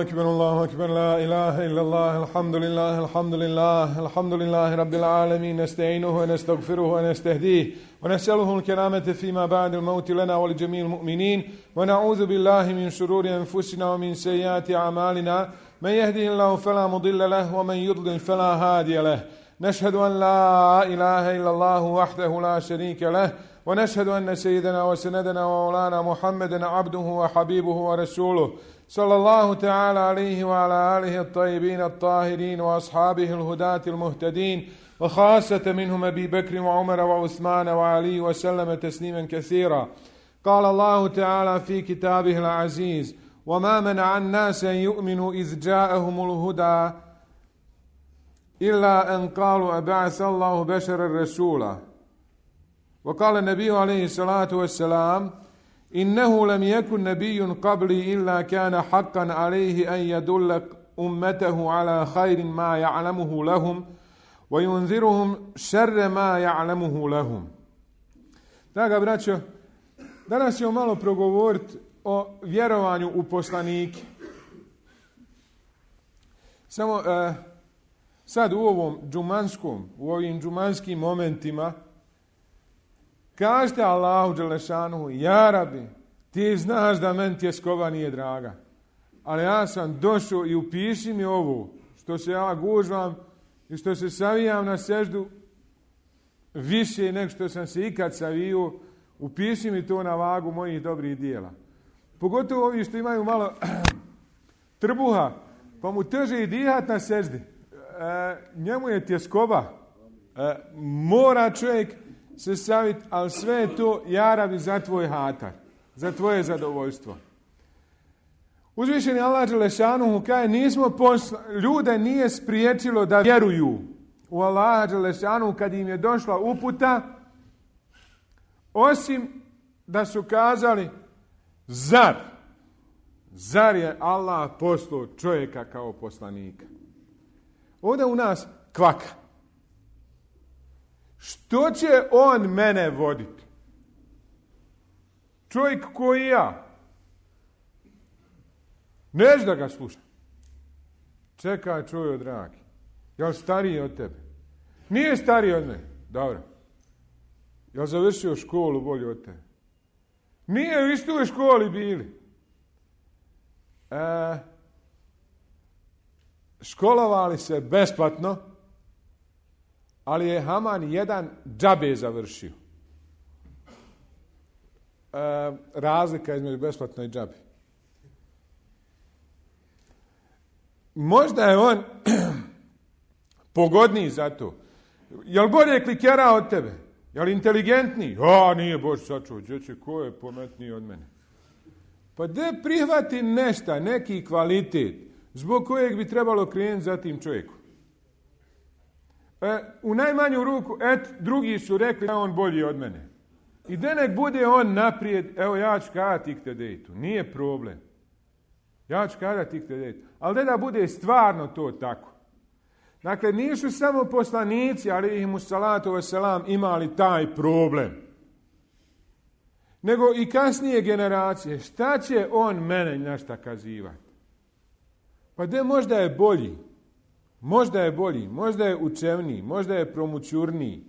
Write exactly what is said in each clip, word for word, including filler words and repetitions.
الله أكبر الله أكبر لا إله إلا الله الحمد لله الحمد لله الحمد لله رب العالمين نستعينه ونستغفره ونستهديه ونسأله الكرامة فيما بعد الموت لنا ولجميع المؤمنين ونعوذ بالله من شرور أنفسنا ومن سيئات أعمالنا من يهده الله فلا مضل له ومن يضلل فلا هادي له نشهد أن لا إله إلا الله وحده لا شريك له ونشهد أن سيدنا وسندنا ومولانا محمدا عبده وحبيبه ورسوله صلى الله تعالى عليه وعلى آله الطيبين الطاهرين وأصحابه الهداة المهتدين وخاصة منهم أبي بكر وعمر وعثمان وعلي وسلم تسليما كثيرا. قال الله تعالى في كتابه العزيز: وما منع الناس أن يؤمنوا إذ جاءهم الهدى إلا أن قالوا أبعث الله بشرا رسولا. وقال النبي عليه الصلاة والسلام: إنه لم يكن نبي قبلي إلا كان حقا عليه أن يدل أمته على خير ما يعلمه لهم وينذرهم شر ما يعلمه لهم. Draga braćo, danas ćemo malo progovoriti o vjerovanju u poslanike. Samo uh, sad u ovom džumanskom, u ovim džumanskim momentima kažete Allahu dželešanuhu: ja Rabi, ti znaš da meni tjeskova nije draga, ali ja sam došao i upiši mi ovo što se ja gužvam i što se savijam na seždu više nego što sam se ikad savio, upiši mi to na vagu mojih dobrih dijela. Pogotovo ovi što imaju malo trbuha, pa mu teže i dihat na seždi. E, njemu je tjeskoba. E, mora čovjek se saviti, ali sve je to, ja Rabi, za tvoj hatar, za tvoje zadovoljstvo. Uzvišeni Allah dželešanuhu kaže: nismo posla, ljude nije spriječilo da vjeruju u Allaha dželešanuhu kad im je došla uputa, osim da su kazali: zar, zar je Allah poslao čovjeka kao poslanika. Ovdje u nas kvaka. Što će on mene voditi? Čovjek koji ja. Neću da ga slušam. Čekaj, čujo dragi. Jel stariji od tebe? Nije stariji od mene. Dobro. Jel završio školu bolje od tebe? Nije u istoj školi bili. E, školovali se besplatno, ali je Haman jedan džabe završio. E, razlika između besplatno i džabe. Možda je on pogodniji za to. Jel bolje klikera od tebe? Jel inteligentniji? A, nije Bož sačuo, dječe, ko je pametniji od mene? Pa de prihvati nešto, neki kvalitet, zbog kojeg bi trebalo krenuti za tim čovjekom. E, u najmanju ruku, et, drugi su rekli da je on bolji od mene. I da nek bude on naprijed, evo ja ću kazati iktedejtu, nije problem. Ja ću kazati iktedejtu. Ali da da bude stvarno to tako. Dakle, nisu samo poslanici, alejhimu salatu vesselam, imali taj problem. Nego i kasnije generacije. Šta će on mene našta kazivati? Pa de možda je bolji. Možda je bolji, možda je učevniji, možda je promućurniji,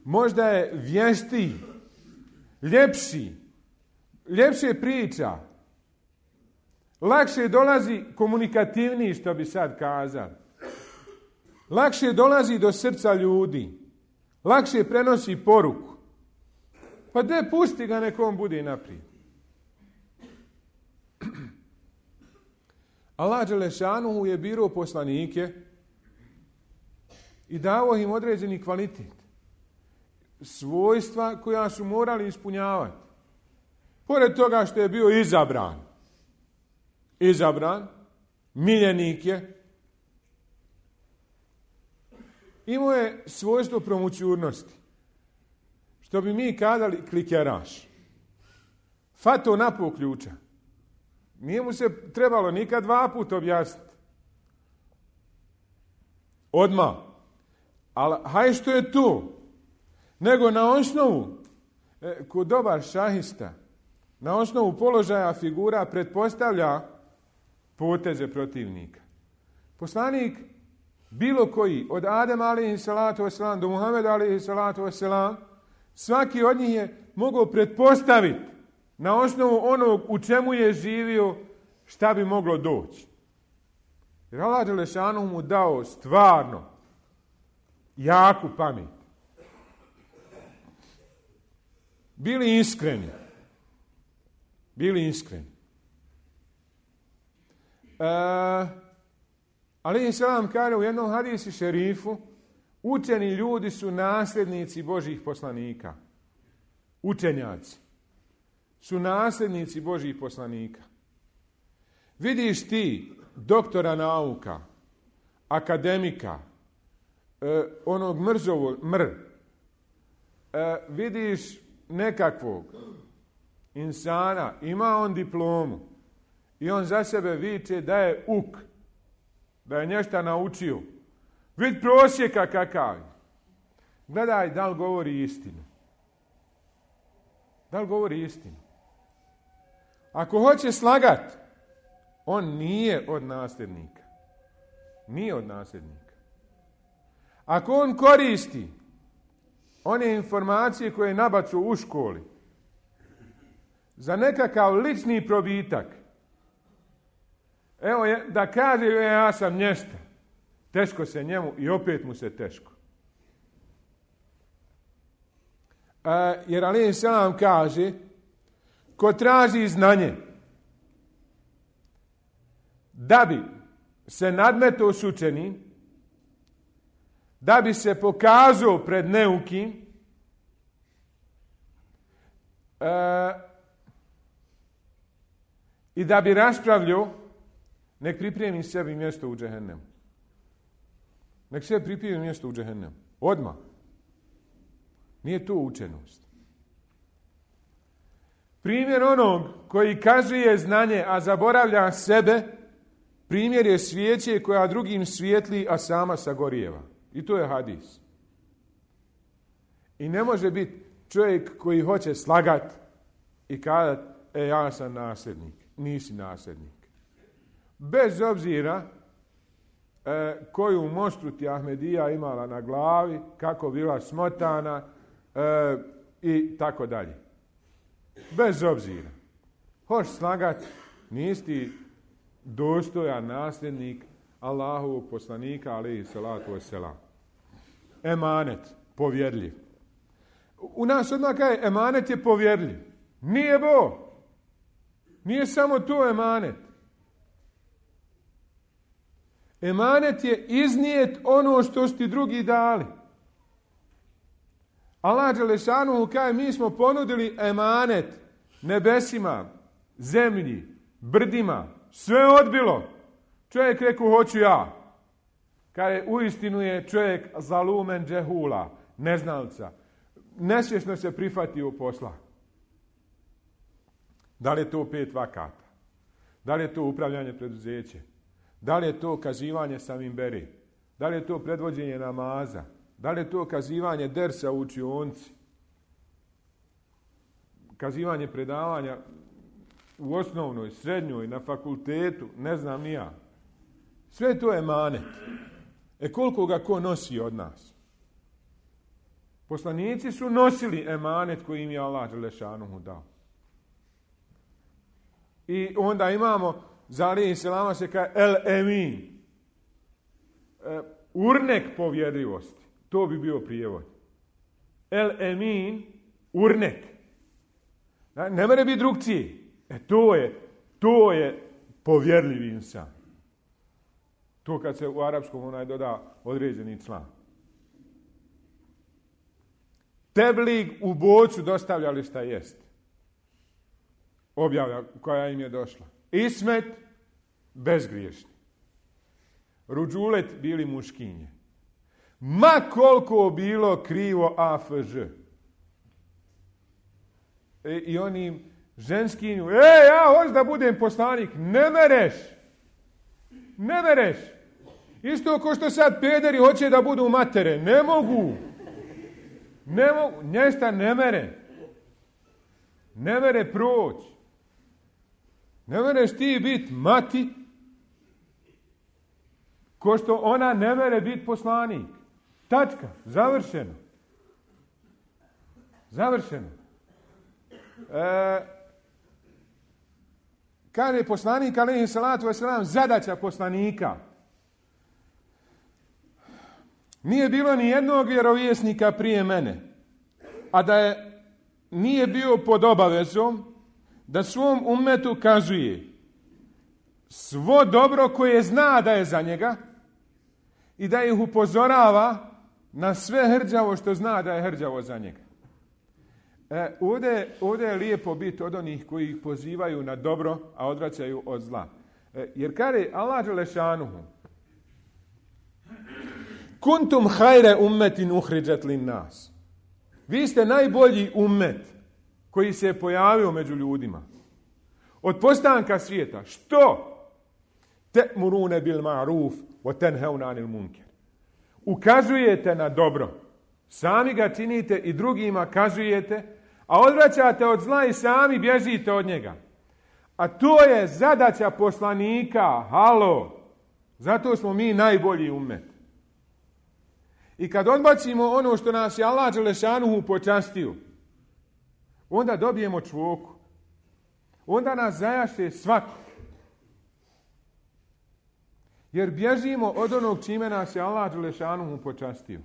možda je vještiji, ljepši, ljepše priča, lakše dolazi, komunikativniji, što bi sad kazali, lakše dolazi do srca ljudi, lakše prenosi poruku. Pa de pusti ga, nekom bude naprijed. Allah dželešanuhu je birao poslanike i dao im određeni kvalitet, svojstva koja su morali ispunjavati. Pored toga što je bio izabran, izabran, miljenik je, imao je svojstvo promućurnosti, što bi mi kazali klikeraš. Fato napol ključa. Nije mu se trebalo nikad dva puta objasniti. Odmah. Ali haj što je tu, nego na osnovu, e, ko dobar šahista, na osnovu položaja figura pretpostavlja poteze protivnika. Poslanik bilo koji, od Adema alejhi salatu vesselam do Muhameda alejhi salatu vesselam, svaki od njih je mogao pretpostaviti na osnovu onog u čemu je živio šta bi moglo doći. Jer Allah dželešanu mu dao stvarno jaku pamet. Bili iskreni. Bili iskreni. E, alejhi selam kaže u jednom hadisi šerifu, učeni ljudi su nasljednici Božjih poslanika. Učenjaci su nasljednici Božjih poslanika. Vidiš ti doktora nauka, akademika, eh, onog mrzovog, mr, eh, vidiš nekakvog insana, ima on diplomu i on za sebe viče da je uk, da je nešto naučio. Vid prosjeka kakav. Gledaj da li govori istinu. Da li govori istinu? Ako hoće slagat, on nije od nasljednika. Nije od nasljednika. Ako on koristi one informacije koje je nabacio u školi za nekakav lični probitak, evo da kaže ja sam nješta, teško se njemu i opet mu se teško. E, jer alejhi selam kaže, ko traži znanje da bi se nadmetao s učenim, da bi se pokazao pred neukim, e, i da bi raspravljao, nek pripremi sebi mjesto u džehennemu. Nek sebi pripremi mjesto u džehennemu. Odmah. Nije to učenost. Primjer onog koji kazuje znanje, a zaboravlja sebe, primjer je svijeće koja drugim svijetli, a sama sagorijeva. I to je hadis. I ne može biti čovjek koji hoće slagat i kazati, e, ja sam nasljednik. Nisi nasljednik. Bez obzira e, koju mostru ti Ahmedija imala na glavi, kako bila smotana e, i tako dalje. Bez obzira. Hoš slagat, nisi ti dostojan nasljednik Allahovog poslanika, alejhi salatu vesselam. Emanet, povjerljiv. U nas odmah kaže, emanet je povjerljiv. Nije bo. Nije samo to emanet. Emanet je iznijet ono što su ti drugi dali. Allah dželešanu kaže, mi smo ponudili emanet nebesima, zemlji, brdima, sve odbilo. Čovjek rekao, hoću ja. Kaže, uistinu je čovjek zalumen džehula, neznalca. Nesvjesno se prihvatio posla. Da li je to pet vakata? Da li je to upravljanje preduzeće? Da li je to kazivanje samim beri? Da li je to predvođenje namaza? Da li je to kazivanje dersa u učionci? Kazivanje predavanja u osnovnoj, srednjoj, na fakultetu, ne znam ni ja. Sve to je emanet. E koliko ga ko nosi od nas? Poslanici su nosili emanet koji im je Allah dželešanu dao. I onda imamo, za alejhi selama se kaže el emin. E, urnek povjerljivosti. To bi bio prijevod. El emin, urnek. Ne more biti drugčiji. E to je, to je povjerljiv insan. To kad se u arapskom onaj doda određeni član. Teblig u bocu dostavljali šta jest. Objava koja im je došla. Ismet, bezgriješni. Ruđulet bili muškinje. Ma koliko bilo krivo A F Ž. E, I oni ženskinju, e, ja hoću da budem poslanik. Ne mereš. Ne mereš. Isto ko što sad pederi hoće da budu matere. Ne mogu. Ne mogu. Nješta ne mere. Ne mere proći. Ne mereš ti biti mati Ko što ona ne mere biti poslanik. Tačka. Završeno. Završeno. E, kaže poslanik, alejhi salatu vesselam, zadaća poslanika. Nije bilo ni jednog vjerovjesnika prije mene, a da je nije bio pod obavezom da svom ummetu kazuje svo dobro koje zna da je za njega i da ih upozorava na sve hrđavo što zna da je hrđavo za njega. E, ovdje, ovdje je lijepo biti od onih koji ih pozivaju na dobro, a odvraćaju od zla. E, jer kaže Allah dželešanuhu: Kuntum hajre ummetin uhriđat lin nas. Vi ste najbolji ummet koji se je pojavio među ljudima. Od postanka svijeta. Što? Te'murune bil ma'ruf wa tenheuna anil munker. Ukazujete na dobro. Sami ga činite i drugima kazujete, a odvraćate od zla i sami bježite od njega. A to je zadaća poslanika. Halo. Zato smo mi najbolji ummet. I kad odbacimo ono što nas je Allah dželešanuhu počastio, onda dobijemo čvoku. Onda nas zajaše svako. Jer bježimo od onog čime nas je Allah dželešanuhu počastio.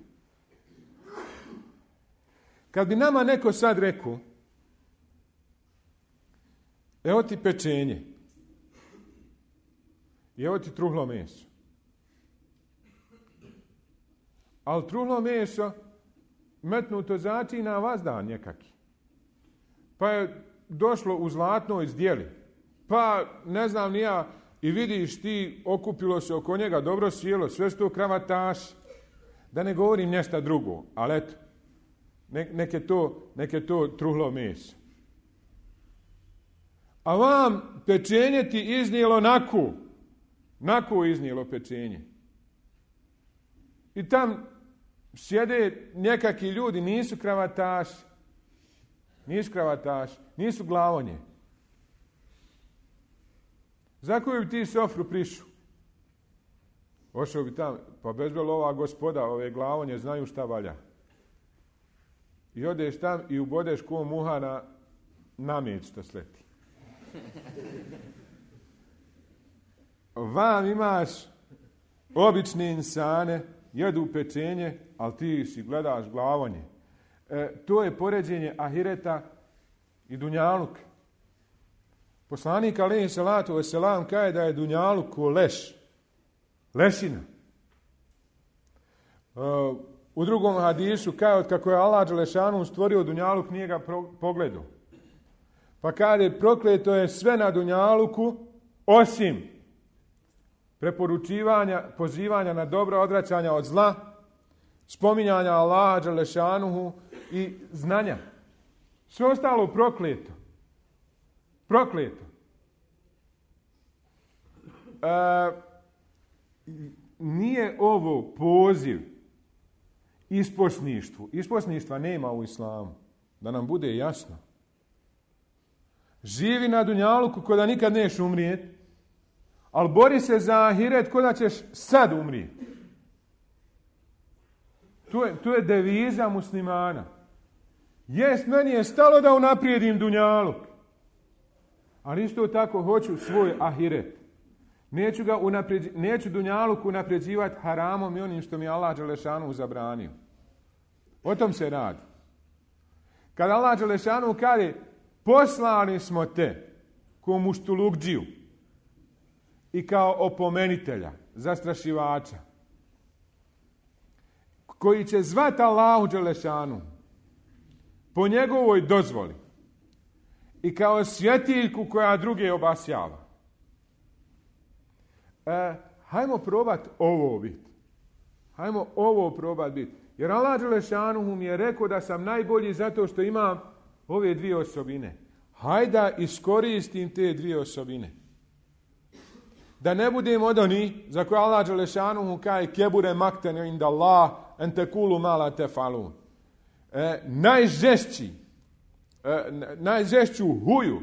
Kad bi nama neko sad rekao, evo ti pečenje, i evo ti truhlo meso. Ali truhlo meso metnuto začina vazdan nekaki. Pa je došlo u zlatnoj zdjeli. Pa ne znam ni ja, i vidiš ti, okupilo se oko njega, dobro sjelo, sve su to kravataši. Da ne govorim nešto drugo, ali eto, neke to, neke to truhlo meso. A vam pečenje ti iznijelo naku. Naku iznijelo pečenje. I tam sjede nekakvi ljudi, nisu kravataši. Nisu kravataši, nisu glavonje. Za koju bi ti sofru prišu? Ošao bi tam, pa bezbelo ova gospoda, ove glavonje znaju šta valja. I odeš tam i ubodeš ko muha na namet što sleti. Vam imaš obične insane, jedu pečenje, ali ti si gledaš glavonje. E, to je poređenje ahireta i dunjaluka. Poslanik alejhi salatu vesselam kaže da je dunjaluk ko leš. Lešina. E, u drugom hadisu kaže od kako je Allah dželešanu stvorio dunjaluk nije ga pro, pogledao. Pa kaže prokleto je sve na dunjaluku osim preporučivanja, pozivanja na dobro, odvraćanja od zla, spominjanja Allaha dželešanuhu i znanja. Sve ostalo prokleto. Prokleto. E, nije ovo poziv isposništvu. Isposništva nema u islamu. Da nam bude jasno. Živi na dunjaluku ko da nikad neš umrijeti, ali bori se za ahiret ko da ćeš sad umrijeti. To je, to je deviza muslimana. Jest, meni je stalo da unaprijedim dunjaluk. Ali isto tako hoću svoj ahiret. Neću, ga unaprijeđi, neću dunjaluk unaprijeđivati haramom i onim što mi Allah dželešanu zabranio. O tom se radi. Kad Allah dželešanu kaže poslali smo te ko muštulukđiju i kao opomenitelja, zastrašivača, koji će zvati Allahu dželešanu po njegovoj dozvoli i kao svjetiljku koja druge obasjava. E, hajmo probati ovo biti. Hajmo ovo probati biti. Jer Allah dželešanu mi je rekao da sam najbolji zato što imam ove dvije osobine. Hajda iskoristim te dvije osobine. Da ne budem od onih za koje Allah dželešanu kaže kebure makten inda Allah en tekulu mala tefalun. E, najžešći, e, najžešću huju,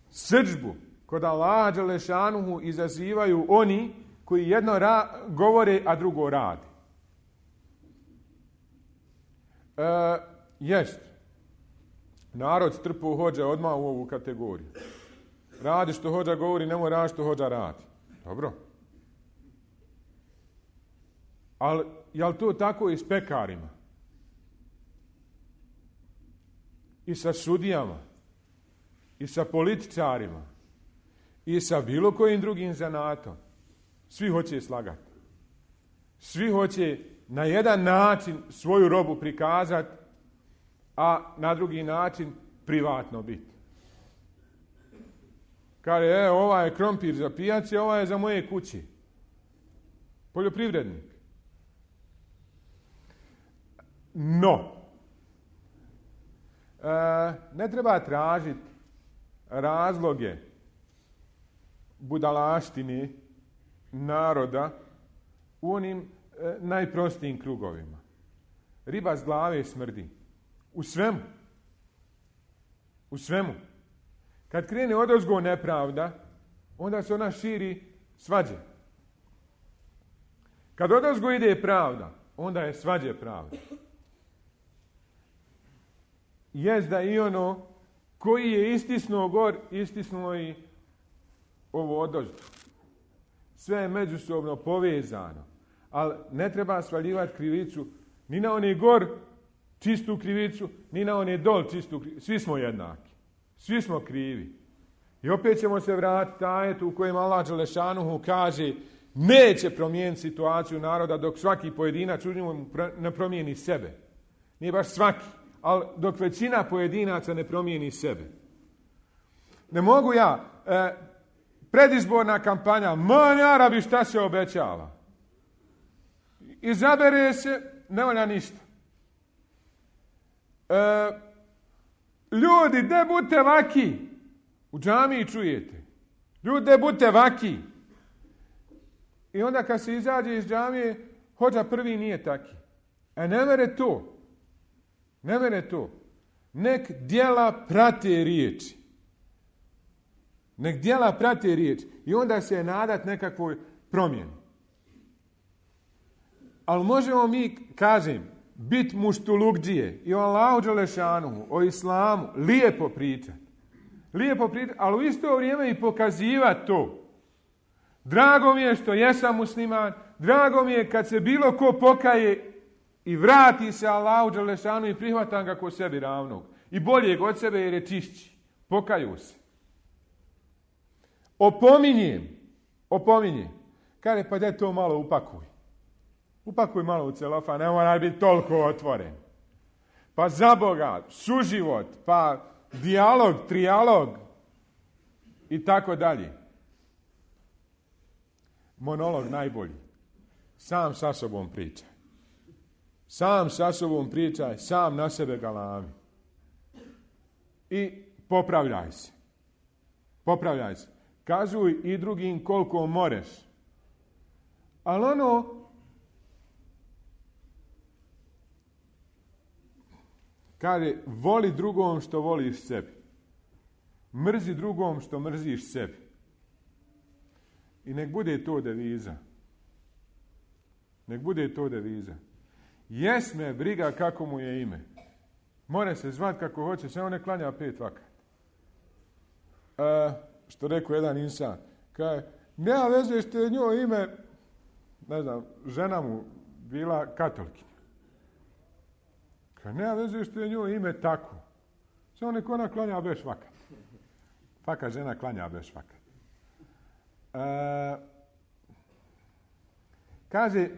srdžbu kod Allaha dželešanu izazivaju oni koji jedno ra- govore, a drugo radi. E, jest. Narod strpu hođa odmah u ovu kategoriju. Radi što hođa govori, nemoj radi što hođa radi. Dobro. Ali, je li to tako i s pekarima? I sa sudijama? I sa političarima? I sa bilo kojim drugim zanatom? Svi hoće slagati. Svi hoće na jedan način svoju robu prikazati, a na drugi način privatno biti. Kaže, e, ova je krompir za pijaci, ova je za moje kući. Poljoprivrednik. No, e, ne treba tražiti razloge budalaštine naroda u onim e, najprostijim krugovima. Riba s glave smrdi. U svemu. U svemu. Kad krene odozgo nepravda, onda se ona širi svađe. Kad odozgo ide pravda, onda je svađe pravda. Jest da i ono koji je istisnuo gor, istisnuo i ovo odozgo. Sve je međusobno povezano. Ali ne treba svaljivati krivicu ni na one gor čistu krivicu, ni na one dol čistu krivicu. Svi smo jednaki. Svi smo krivi. I opet ćemo se vratiti ajetu u kojem Allah Đelešanuhu kaže neće promijeniti situaciju naroda dok svaki pojedinac u njemu ne promijeni sebe. Nije baš svaki, ali dok većina pojedinaca ne promijeni sebe. Ne mogu ja, e, predizborna kampanja, man Arabi šta se obećava. Izabere se, ne valja ništa. E, ljudi, de budite vaki. U džamiji čujete. Ljudi, de budite vaki. I onda kad se izađe iz džamije, hođa prvi nije taki. E ne mere to. Ne mere to. Nek djela prate riječi. Nek djela prate riječi. I onda se nadat nekakvoj promjeni. Ali možemo mi, kažem, bit muštulugđije i o Allahu Đelešanuhu, o islamu, lijepo pričati. Lijepo pričati, ali u isto vrijeme i pokazivati to. Drago mi je što jesam musliman, drago mi je kad se bilo ko pokaje i vrati se Allahu Đelešanuhu i prihvatam ga ko sebi ravnog. I boljeg od sebe jer je čišći. Pokaju se. Opominjem, opominjem. Kaže, pa da to malo upakuj. Upakuj malo u celofan, ne mora biti toliko otvoren. Pa za Boga, suživot, pa dijalog, trijalog i tako dalje. Monolog najbolji. Sam sa sobom pričaj. Sam sa sobom pričaj, sam na sebe galami. I popravljaj se. Popravljaj se. Kazuj i drugim koliko moreš. Ali ono, kaže, voli drugom što voliš sebi. Mrzi drugom što mrziš sebi. I nek bude to deviza. Nek bude to deviza. Jes me briga kako mu je ime. More se zvat kako hoće, samo ne klanja pet vakat. E, što rekao jedan insan. Kaže, nema veze što je njoj ime, ne znam, žena mu bila katolkinja. Kaže, nema veze što je njoj ime tako. Samo nek ona klanja beš vakat. Faka žena klanja beš vakat. E, kaže,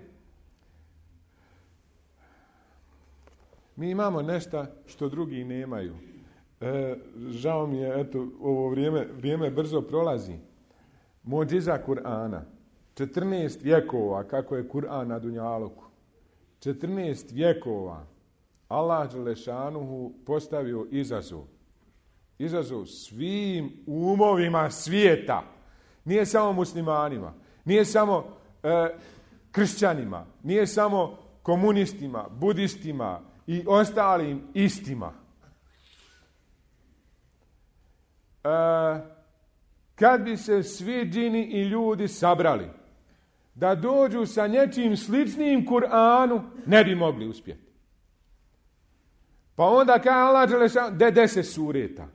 mi imamo nešto što drugi nemaju. E, žao mi je, eto, ovo vrijeme, vrijeme brzo prolazi. Modžiza Kur'ana. četrnaest vjekova, kako je Kur'an na Dunjaluku. četrnaest vjekova Allah Đelešanuhu postavio izazov. Izazov svim umovima svijeta. Nije samo muslimanima, nije samo e, kršćanima, nije samo komunistima, budistima i ostalim istima. E, kad bi se svi džini i ljudi sabrali da dođu sa nečim sličnim Kur'anu, ne bi mogli uspjeti. Pa onda kaže Allah dželešanu, de deset sureta.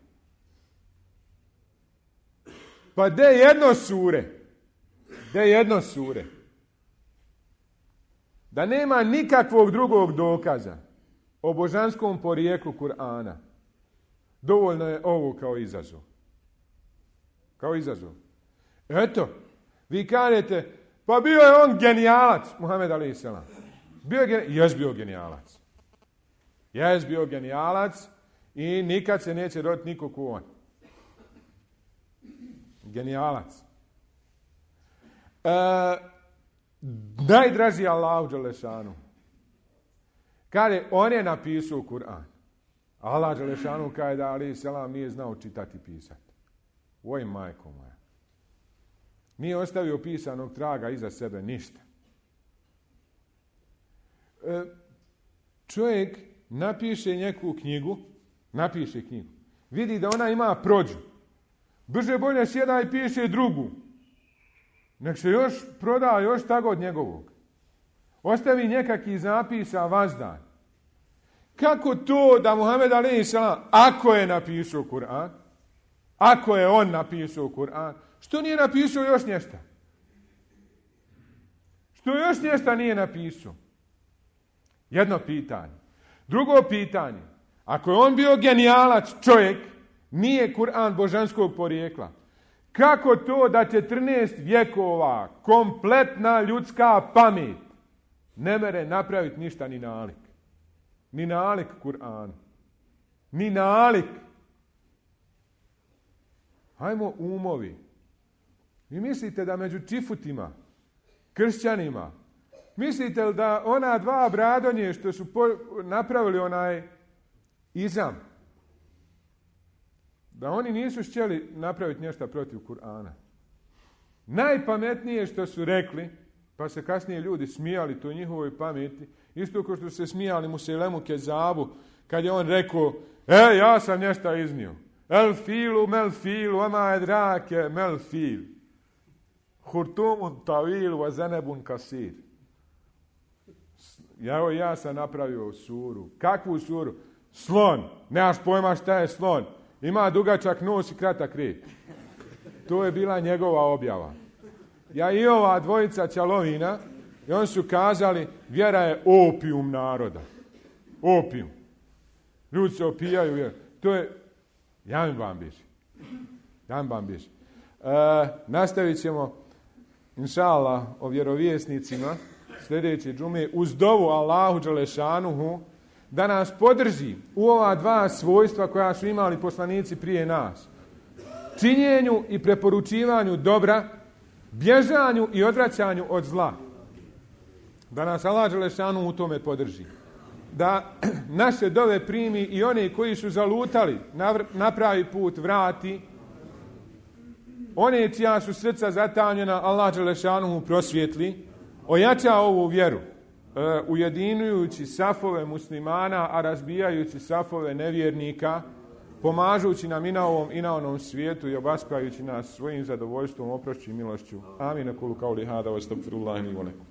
Pa de jedno sure. De jedno sure. Da nema nikakvog drugog dokaza o božanskom porijeklu Kur'ana. Dovoljno je ovo kao izazov. Kao izazov. Eto, vi kažete, pa bio je on genijalac, Muhammed alejhi selam. Bio je genijalac, jes bio genijalac. Jes bio genijalac i nikad se neće roditi niko ko on. Genijalac. E, najdraži Allahu dželešanu. Kaže, on je napisao Kur'an. Allah dželešanu kaže da alejhi selam nije znao čitati i pisati. Oj, majko moja. Nije ostavio pisanog traga iza sebe ništa. E, čovjek napiše neku knjigu, napiše knjigu, vidi da ona ima prođu. Brže bolje sjeda i piše drugu. Nek se još proda još tako od njegovog. Ostavi nekakvi zapisa vazdan. Kako to da Muhammed alejhi selam, ako je napisao Kur'an, ako je on napisao Kur'an, što nije napisao još nešto? Što još nešto nije napisao? Jedno pitanje. Drugo pitanje. Ako je on bio genijalac čovjek, nije Kur'an božanskog porijekla. Kako to da četrnaest vjekova kompletna ljudska pamet ne mere napraviti ništa ni nalik? Ni nalik Kur'anu. Ni nalik. Hajmo umovi. Vi mislite da među čifutima, kršćanima, mislite li da ona dva bradonje što su po, napravili onaj izam, da oni nisu htjeli napraviti nešto protiv Kur'ana? Najpametnije što su rekli, pa se kasnije ljudi smijali to njihovoj pameti, isto kao što se smijali Muselemu Kezabu, kad je on rekao, e, ja sam nešto iznio. El filu, mel filu, ama edrake, mel fil. Hurtumun tavil, wa zanebun kasir. Ja, ja sam napravio suru. Kakvu suru? Slon. Nemaš pojma šta je slon. Ima dugačak nos i kratak rep. To je bila njegova objava. Ja i ova dvojica ćalovina, i oni su kazali, vjera je opijum naroda. Opijum. Ljudi se opijaju vjeru. To je Jan Bambiš. Jan Bambiš. E, nastavit ćemo, inša Allah, o vjerovjesnicima sljedeće džume uz dovu Allahu dželešanuhu da nas podrži u ova dva svojstva koja su imali poslanici prije nas. Činjenju i preporučivanju dobra, bježanju i odvraćanju od zla. Da nas Allah dželešanuhu u tome podrži. Da naše dove primi i one koji su zalutali na pravi put vrati, one čija su srca zatamnjena Allah dželešanuhu prosvjetli, ojača ovu vjeru, ujedinujući safove muslimana, a razbijajući safove nevjernika, pomažući nam i na ovom i na onom svijetu i obaspajući nas svojim zadovoljstvom, oprošću i milošću. Amin. Kulu kauli hada wa astagfirullahi li wa lakum.